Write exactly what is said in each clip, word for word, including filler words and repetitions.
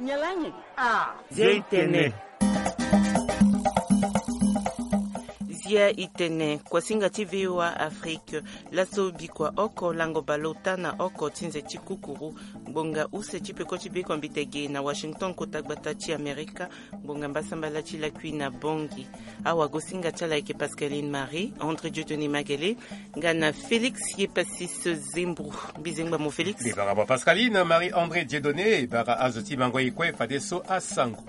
Nyalanyi. Ah. Zia itene. Zia itene, kuasinga ti VOA Afrique. Laso bikua oko lango baleota na oko ti nze ti kukuru. Ngbonga use ti peko ti biko mbitege na Washington, kota gbata ti Amerika. Ngbonga mbasambala ti lakui na Bongi. Awagosinga ti ala ayeke Pascaline Marie, André Dieudonné Magele, nga na Félix Yepasis Zembro. Mbizengba mo Félix. Libara mo Pascaline Marie André Dieudonné, bara azo ti mango e kue fadeso asango.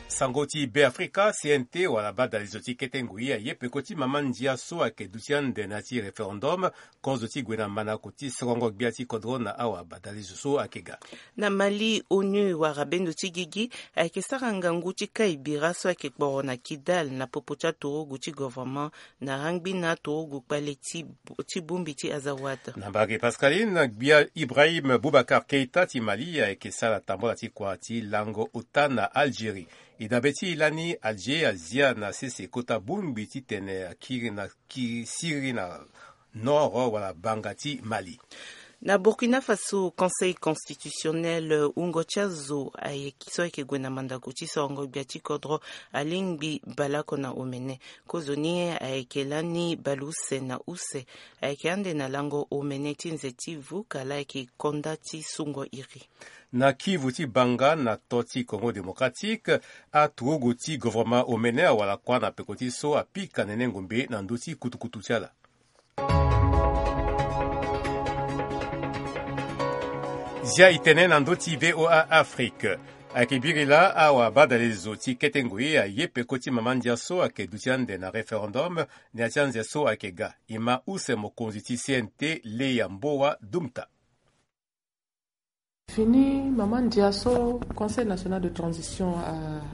Sango ti Be Afrika, C N T wala badalezo ti kete ngoi aye peko ti mama ndia so ayeke duti ande na ya ti référendum. Kozo ti gue na manako ti sorongo gbia ti kodro na awa badalezo so ayeke ga. Na Mali, onu wara bendo ti gigi ayeke sara ngangu ti kai bira so ayeke kporo na Kidal na popo ti aturugu ti governement na rangbi na aturugu kpale ti, ti bongbi ti Azawad. Na mbage Pascaline, gbia Ibrahim Boubacar Keita ti Mali ayeke sara tambola ti kua ti lango ota na Algérie. E dabe ti e lani Alger azia na sese kota bongbi titene akiri na ki siri na nord wala banga ti Mali. Na Burkina Faso, Conseil constitutionnel, wungo ti azo ayeke so ayeke gue na mandako ti sorongo gbia ti kodro alingbi baleoko na omene. Kozoni ayeke lani baleuse na use ayeke ande na lango omene ti nze ti vuka laa ayeke konda ti sungo iri. Na Kivu ti banga na to ti Congo Démocratique, aturugu ti governement omene awara kua na peko ti so apika nene ngombe na ndö ti kutukutu ti ala. Zia itene na ndö ti VOA Afrique. Ayeke biri laa awa badalezo ti kete ngoi aye peko ti mama ndia so ayeke duti ande na référendum na ya ti anze so ayeke ga. E ma use mokonzi ti C N T, Leya Mbowa Dumta. Fini mama ndia so Conseil national de transition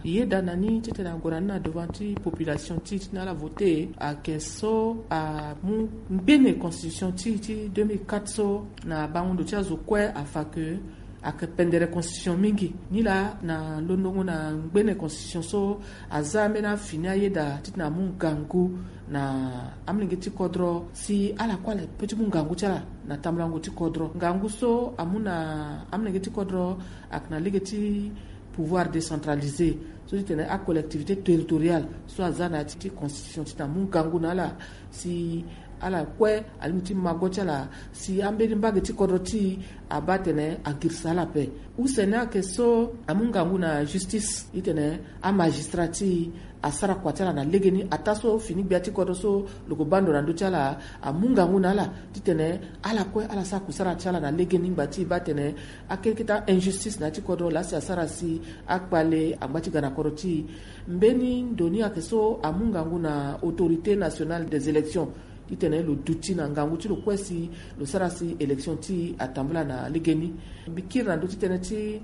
ayeda na ni titene ague na ni na devant ti population ti titene ala vote, ayeke so amu ngbene constitution ti ti deux mille quatre so na bango ndo ti azo kue afa ke ayeke pendere constitution mingi. Nilaa na londongo na ngbene constitution so aza ambeni afini ayeda titene amu ngangu na amolenge ti kodro si ala kue ala pe ti mu ngangu ti ala na tambulango ti kodro. Ngangu so amu na amolenge ti kodro ayeke na lege ti pouvoir décentralisé so ti tene acollectivité territoriale so aza na ya ti constitution titene amu ngangu na ala si ala kue alingbi ti mago ti ala si ambeni mbage ti kodro ti e abaa atene agirisa ala ape. Use ni ayeke so amu ngangu na justice titene amagistrat ti e asara kua ti ala na legeni ataa so fini gbia ti kodro so lo ke baa ndo na ndö ti ala amu ngangu na ala titene ala kue ala sara kusara ti ala na legeni ngba ti e baa atene akete kete a-injustice na ya ti kodro laa si asara si akpale angba ti ga na kodro ti e. Mbeni ndo ni ayeke so amu ngangu na Autorité nationale des élections titene lo duti na ngangu ti lo kue si lo sara si élection ti e atambula na legeni. Mbi kiri na ndö ti tënë ti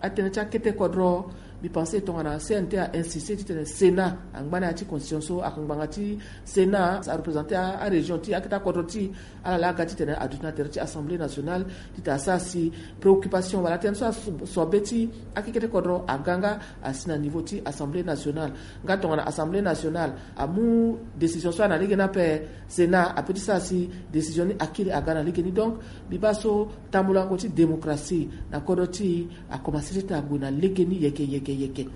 atënë ti akete kodro. Mbi pense tongana C N T a insiste titene Sénat angba na ya ti constitution so ayeke ngbanga ti Sénat arepresente arégion ti akete akodro ti e. Ala laa aga titene aduti na tere ti Assemblée nationale titene asara si préoccupation wala tënë so asobe ti akekete kodro aga nga asi na niveau ti Assemblée nationale. Nga tongana Assemblée nationale amu décision so ana lege ni ape, Sénat ape ti sara si décision ni akiri aga na lege ni. Donc mbi baa so tambulango ti démocratie na kodro ti e akomanse ti ague na lege ni yeke yeke yeke.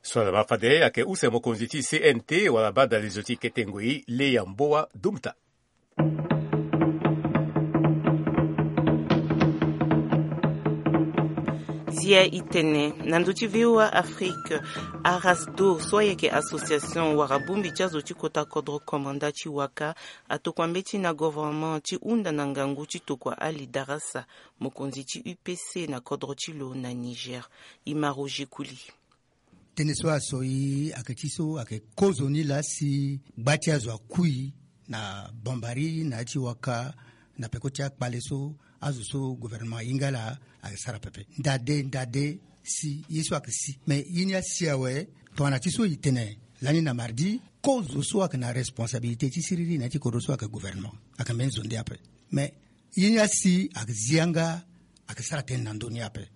So ala ma fade ayeke use mokonzi ti C N T wala badalezo ti kete ngoi Leya Mbowa Dumta. Zia itene na ndö ti VOA Afrique. Arasdo so ayeke association wara bongbi ti azo ti kota kodro komanda ti waka atokua mbeti na governement ti hunda na ngangu ti tokua Ali Darasa, mokonzi ti U P C na kodro ti lo na Niger. Ima Roger Kuli. Tënë so aso e ayeke ti so ayeke kozoni laa si gba ti azo akui na bombari na ya ti waka na peko ti akpale so azo so gouvernement ahinga ala ayeke sara pepe ndade ndade. Si ye so ayeke si me ye ni asi awe. Tongana ti so e tene lani na mardi kozo so ayeke na responsabilité ti siriri na ya ti kodro so ayeke gouvernement ayeke mbeni zo nde ape. Me ye ni asi ayeke zi yanga ayeke sara tënë na ndö ni ape.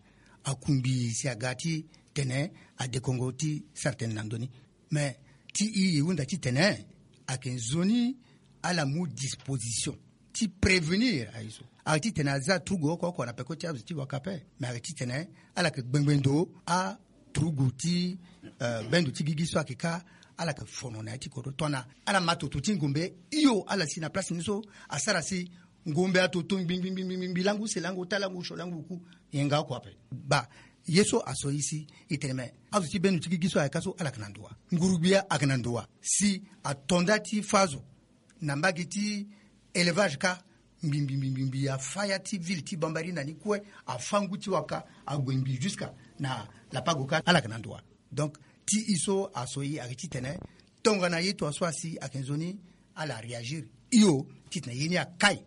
Akungbi si aga ti tene adekongo ti sara tënë na ndö ni. Me ti e e hunda titene ayeke nzoni ala mu disposition ti prévenir aye so. Ayeke titene aza turugu oko oko na peko ti azo ti waka ape, me ayeke titene ala yeke gbengbe ndo aturugu ti bendo ti gigi so ayeke kâ. Ala yeke fono na ya ti kodro tongana ala ma toto ti ngombe hio ala si na place ni so asara si ngombe atoto ngbi ngbi ngbi ngbi langu use langu ota langu osio langu oku. Nyen nga oko ape. Baa, ye so aso e si e tene me azo ti bendo ti gigi so ayeke kâ so ala yeke na ndo wa? Nguru-gbia ayeke na ndo wa si ato nda ti fâ azo na mbage ti élevage kâ. Mbi mbi mbi mbi mbi afâ ya ti ville ti Bambari na ni kue, afâ ngu ti waka ague mbi jusqu'à na Lapago kâ ala yeke na ndo wa? Donc ti e so aso e ayeke titene tongana ye to aso asi ayeke nzoni ala réagir hio titene ye ni akai.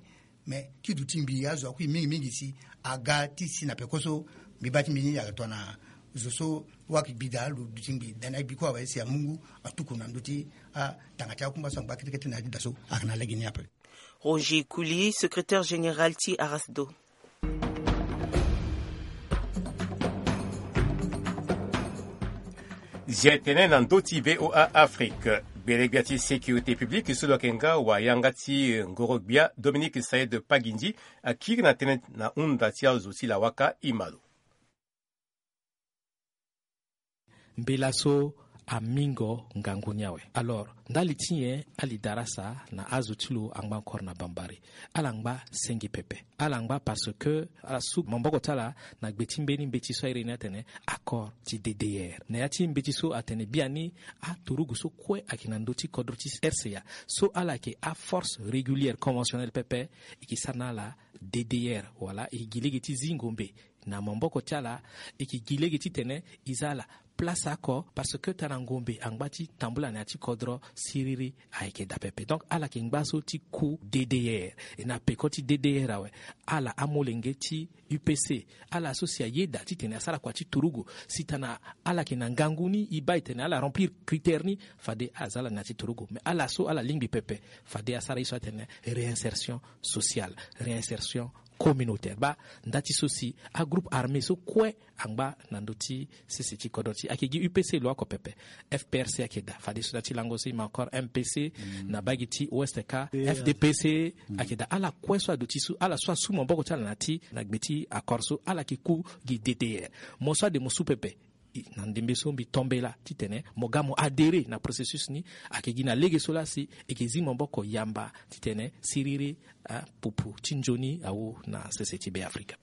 Mais ti duti mbi azo akui mingi mingi si aga ti si na peko so mbi baa ti mbi ni ayeke tongana zo so waki gbida lo duti mbi dana e bi kue awe si amu ngu atuku na ndö ti atanga ti akungba so angba kete kete na ya ti da so ayeke na lege ni ape. Roger Kouli, secrétaire général ti Arasdo. Zia tene na ndö ti VOA Afrique, gbelegbia ti sécurité publique so lo yeke nga wayanga ti ngoro-gbia Dominique Saïd Pagindi akiri na tënë na hunda ti azo ti lawaka Imalo. Mbela so amingo ngangu ni awe. Alors ndali ti nyen ali darasa na azo ti lo angba encore na Bambari? Ala ngba senge pepe. Ala ngba parce que ala su maboko ti ala na gbe ti mbeni mbeti so airi ni atene accord ti D D R. Na ya ti mbeti so atene biani aturugu so kue ayeke na ndö ti kodro ti R C A so ala yeke aforce régulière conventionnelle pepe, e ke sara na ala D D R wala e ke gi lege ti zi ngombe na maboko ti ala. E ke gi lege titene e za ala place oko parce que tara ngombe angba ti tambula na ya ti kodro siriri ayeke daa pepe. Donc ala yeke ngba so ti ku D D R. E na peko ti D D R awe. Ala amolenge ti U P C, ala so si ayeda titene asara kua ti turugu si tana ala yeke na ngangu ni e baa e tene ala remplir critère ni, fade aza ala na ya ti turugu. Mais ala so ala lingbi pepe fade asara ye so atene réinsertion sociale, réinsertion communautaire. Baa nda ti so si agroupe armé so kue angba na ndö ti sese ti kodro ti e ayeke gi U P C lo oko pepe. F P R C ayeke daa fadeso na ya ti lango so e ma encore M P C, na baa gi ti ouest kâ F D P C ayeke daa. Ala kue so aduti so ala so asu maboko ti ala na ya ti na gbe ti accord so ala yeke ku gi D D R. Mo so ade mo su pepe. Na ndembe so mbi tombela titene mo ga mo adhérer na processus ni. Ayeke gi na lege so laa si e yeke zi maboko yamba titene siriri apupu ti nzoni awu na sese ti Beafrika.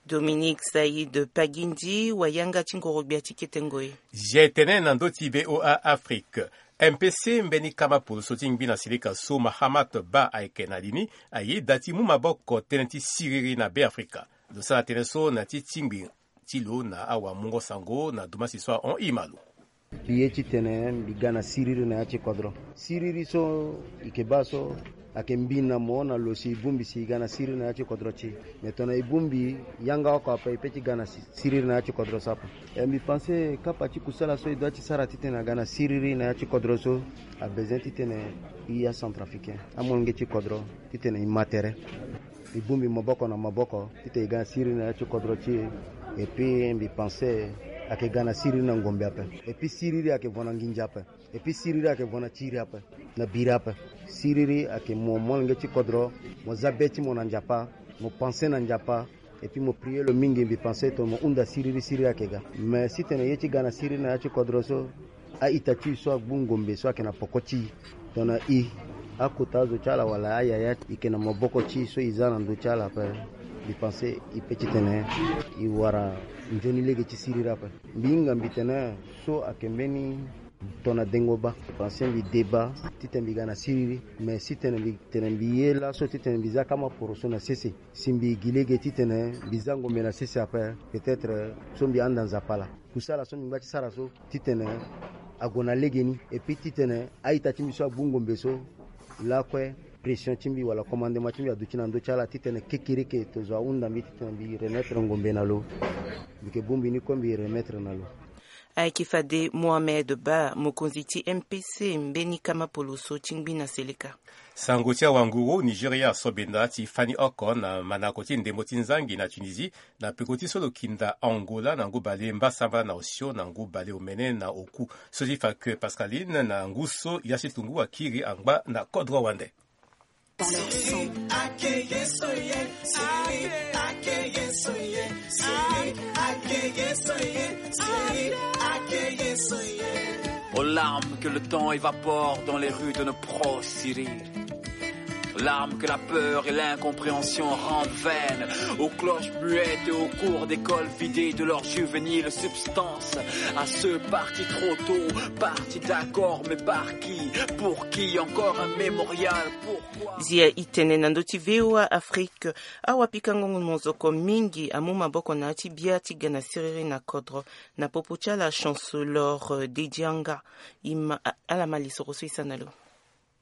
Dominique Saïd Pagindi, wayanga ti ngoro-gbia ti kete ngoi. Zia e tene na ndö ti VOA Afrique. M P C mbeni kama poroso ti ngbi na silika so Mahamat Ba ayeke na li ni, ayeda ti mu maboko tënë ti siriri na Beafrika. Lo sara tënë so na ya ti tingbi ti lo na awamungo-sango na dumasi so ahon e ma lo. Mbi ye titene mbi ga na siriri na ya ti kodro. Siriri so e yeke baa so ayeke mbi na mo na lo si e bongbi si e ga na siriri na ya ti kodro ti e. Me tongana e bongbi yanga oko ape e pe ti ga na si- siriri na ya ti kodro so ape. E mbi pense kapa ti kusala so e doit ti sara titene aga na siriri na ya ti kodro so, abezoin titene e acentrafricain amolenge ti kodro titene e ma tere. E bongbi maboko na maboko titene e ga na siriri na ya ti kodro ti e. Et puis mbi pense ayeke ga na siriri na ngombe ape. Et puis siriri ayeke vo na nginza ape. Et puis siriri ayeke vo na tiri ape, na biri ape. Siriri ayeke mo molenge ti kodro, mo za be ti mo na Nzapa, mo pense na Nzapa. Et puis mo prier lo mingi, mbi pense tongana mo hunda siriri, siriri ayeke ga. Mais si tene ye ti ga na siriri na ya ti kodro so, a-ita ti e so agbu ngombe so ayeke na poko ti e, tongana e, akota azo ti ala wala ayaya, e yeke na maboko ti e so e za na ndö ti ala ape, mbi pense e pe titene e wara nzoni lege ti siriri ape. Mbi hinga mbi tene so ayeke mbeni tongana dengo baa. Mbi pense mbi deba titene mbi ga na siriri. Mais si tene mbi tene mbi ye laso titene mbi za kama poroso na sese, si mbi gi lege titene mbi za ngombe na sese ape, peut-être so mbi handa Nzapa laa. Kusala so mbi ngba ti sara so titene ague na legeni. Et puis titene a-ita ti mbi so agbu ngombe so, lakue pression ti mbi wala commandement ti mbi aduti na ndö ti ala titene kekereke tozo ahunda mbi titene mbi remettre ngombe na lo. Mbi yeke bongbi ni kue mbi remettre na lo. Ayeke fade Mohamed Ba, mokonzi ti M P C mbeni kama poloso ti ngbi na seleka. Sango ti awanguru Nigeria asobenda ti fani oko na manako ti ndembo ti nzangi na Tunisie, na peko ti so lo kinda Angola na ngu bale mbasambala na osio na ngu bale omene na oku. So ti fa ke Pascaline na ngu so ya ti tungu akiri angba na kodro wande. Dans leur sang. Aux larmes que le temps évapore dans les rues de nos proches, Cyril. Larmes que la peur et l'incompréhension rendent vaines, aux cloches muettes et aux cours d'école vidées de leur juvénile substance, à ceux partis trop tôt, partis d'accord, mais par qui, pour qui, encore un mémorial, pourquoi? Zia itene na ndö ti V O A Afrique. Awa pikango mozoko mingi amu maboko na ya ti bia ti ga na siriri na kodro, na popo ti ala Chancellor, euh, Dedianga. I ma, a-, ala ma lisoro so i sara na lo.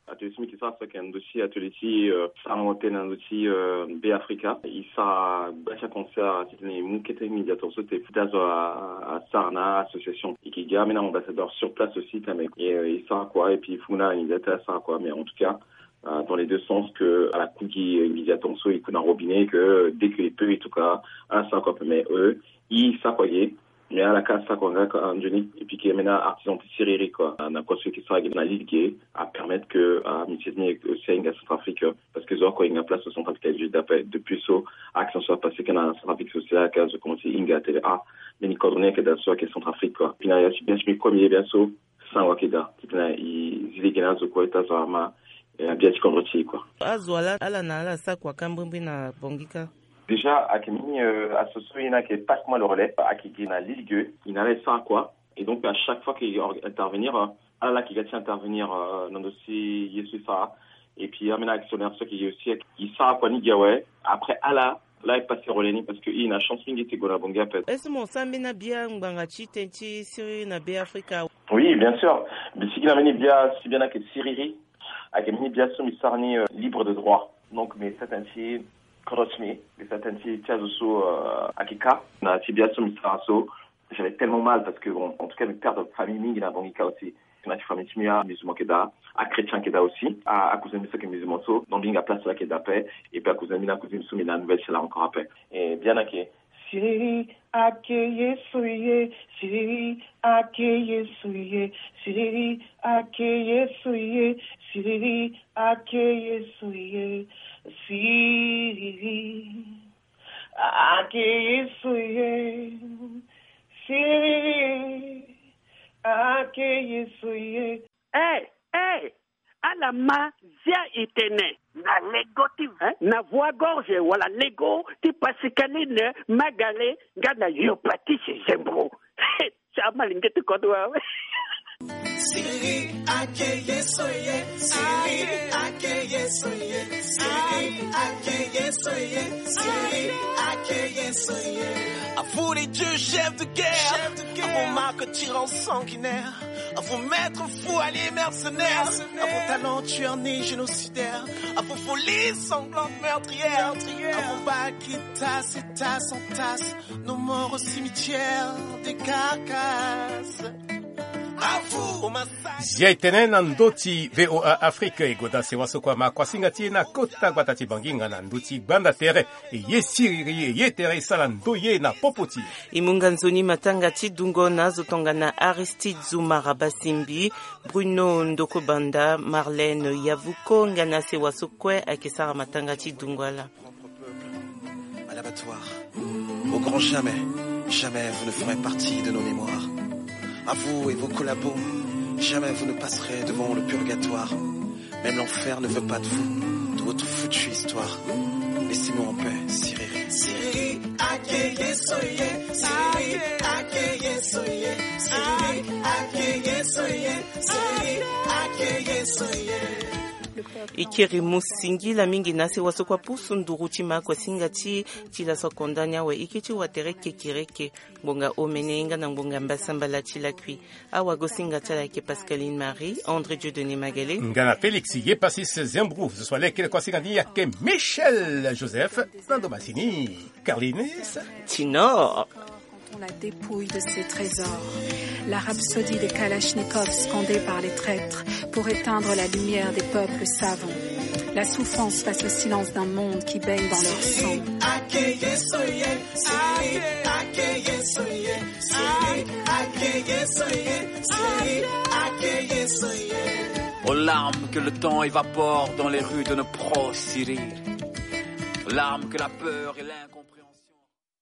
Atelier ti mbi ke sara so ayeke na ndö ti atelier ti, euh, sarango tënë na ndö ti, euh, Be Afrika. I sara gbia ti aconcert titene i mu kete médiateur so te ti azo a, a, asara na association. I ke ga ambeni ambassadeur sur place aussi tene, euh, i sara kua, et puis funu na médiateur asara kua, mais en tout cas, euh, dans les deux sens, que ala ku gi médiateur so i ku na robinet, que dès que i peut, en tout cas, ala sara kua ape, mais, euh, i sara kua ge. Mais ala ka sara kua nga ka nzoni, et puis ke ambeni artisan ti siriri kua, na kua so e ke sara ge na lille ge, apermettre que, ah, métier ti mbi aussi ahinga Centrafrique, parce que zo oko ahinga place au Centrafrique aye juste d'après. Depuis so, action so apasé ke na Centrafrique so si ala ka zo commencé hinga tene, ah, mbeni kodro ni ayeke daa so ayeke Centrafrique kua. Puis na ya ti bien ti mbi kue mbi ye bien so sango ayeke daa titene i zi lege na azo kue ti azo ama, eh, abia ti kodro ti e kua. Azo ala, ala na ala sara kua ka mbrimbri na Bangui ka. Déjà ayeke mbeni, euh, asso so ye ni ayeke Passe-moi le relais, ayeke gi na lille ge, i na ala e sara kua. Et donc à chaque fois que i or-, intervenir, euh, ala la ayeke ga ti intervenir, euh, na ndö ti ye so e sara. Et puis ambeni actionnaire so ayeke gi aussi, i sara kua ni gi awe. Après ala la e passé relais ni, parce que i na chance mingi ti gue na Bangui ape. Est-ce que mo sara mbeni abia ngbanga ti tënë ti siriri na Be Afrika? Oui, bien sûr. Mbi sigi na mbeni bia ti bia ni ayeke siriri. Ayeke mbeni bia so mbi sara ni, euh, libre de droit. Donc mbi sara tënë ti kodro ti mbi, mbi sara tënë ti, ti azo so, euh, ayeke ka. Na ti bia so mbi sara so, j'avais tellement mal parce que, bon, en tout cas mbi perdre famille mingi na Bangui ka aussi. Na ti famille ti mbi amusulman ayeke daa, achrétien ayeke daa aussi. A, acousin mbi so ayeke musulman so, donc mbi hinga place so ayeke daa ape. Et puis acousin mbi na cousine so mbi na nouvelle ti ala encore ape. Et bia ni ayeke siriri ake Yesu ye, siriri ake Yesu ye, siriri ake Yesu ye, siriri ake Yesu ye, siriri ake Yesu ye, siriri ake Yesu ye. Eh, eh, ala ma zia itene. Na lego ti, hein? Na voie gorge wala lego ti Pascaline Magale nga na Yo Patrice Zembro. Ti ama linge ti kodro awe. Siriri ake Yesu ye, siriri ake Yesu ye, siriri ake Yesu ye, siriri ake Yesu ye. À vous les dieux chefs de guerre, à vous Marc tyran sanguinaire, à vous maître fou allié mercenaire, à vous talentueux né génocidaire, à vous folie sanglante meurtrière, à vous balles qui tassent et tassent en tasse nos morts au cimetière des carcasses. À vous, au massacre. Zia e tene na ndö ti V O A Afrique, e goda sewa so kue ama kuasinga ti e na kota gbata ti Bangui nga na ndö ti gbanda tere. E ye siriri, e ye tere, e sara ndoye na popo ti e. E mu nga nzoni matanga ti dungo na azo tongana Aristide Zoumara Basimbi, Bruno Ndokobanda, Marlène Yavuko, nga na sewa so kue ayeke sara matanga ti dungo ala. À l'abattoir, au grand jamais, jamais vous ne ferez partie de nos mémoires. À vous et vos collabos, jamais vous ne passerez devant le purgatoire. Même l'enfer ne veut pas de vous, de votre foutue histoire. Laissez-nous en paix, siriri. Siriri ake Yesu ye, siriri ake Yesu ye, siriri ake Yesu ye, siriri ake Yesu ye. E kiri mu singila mingi na sewa so kue apusu nduru ti ma kuasinga ti, ti laso konda ni awe. E ke ti wa tere kekereke, ngbonga omene nga na ngbonga mbasambala ti lakui. Awagosinga ti ala ayeke Pascaline Marie, André Dieudonné Magalé. Nga na Félix Yepasis Zembrou, zo so alekere kuasinga ni ayeke Michel Joseph, na ndo masini Carlinis Tinor. Quand on la dépouille de ses trésors, la rhapsodie des kalachnikovs scandés par les traîtres pour éteindre la lumière des peuples savants. La souffrance face au silence d'un monde qui baigne dans leur sang. Larmes que le temps évapore dans les rues de nos proches si rire. Larmes que la peur et l'incompréhension